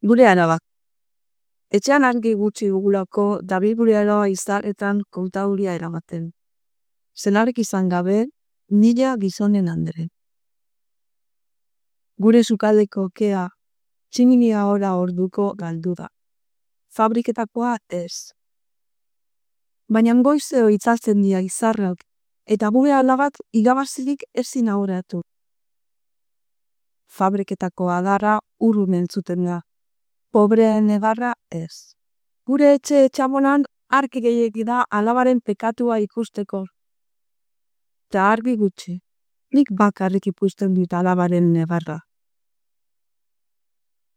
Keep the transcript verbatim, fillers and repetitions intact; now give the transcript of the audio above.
Gure arabak. Etxean argi gutxi dugulako dabil gure araba izaretan kontauria eramaten. Senarek izan gabe, nila gizonen andre. Gure sukaldeko kea, tximinia ora orduko galdu da. Fabriketakoa ez. Baina goizeo itzatzen dira izarrak, eta gure alabak igabazirik ezin aurratu. Fabriketako adarra urrun entzuten da. Pobreen egarra ez. Gure etxe etxamonan argi gehiegi da alabaren pekatua ikusteko. Ta argi gutxi. Nik bakarrik ikusten dut alabaren negarra.